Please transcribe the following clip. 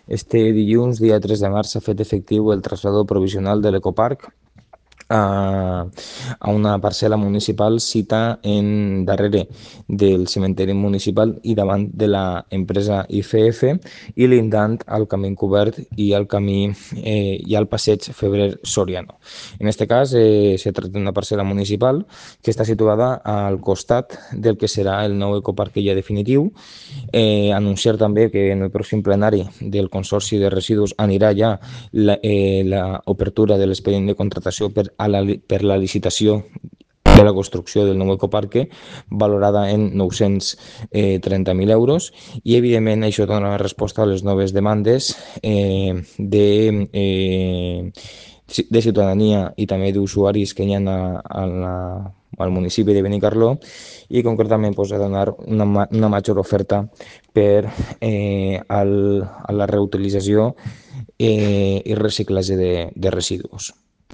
Este dilluns, dia 3 de març, s'ha fet efectiu el trasllador provisional de l'ecoparc a, a una parcel·la municipal cita en darrere del cementeri municipal i davant de la empresa IFF i lindant al camí cobert i al camí i al passeig Febrer Soriano. En aquest cas, se tracta d'una parcel·la municipal que està situada al costat del que serà el nou ecoparc ja definitiu. Anunciar també que en el pròxim plenari del Consorci de Residus anirà ja l'obertura de l'expedient de contratació per la licitació de la construcció del nou ecoparque, valorada en 930.000 euros, i evidentment això dona resposta a les noves demandes de ciutadania i també d'usuaris que hi ha al municipi de Benicarló, i concretament a donar una major oferta per a la reutilització i reciclatge de residus.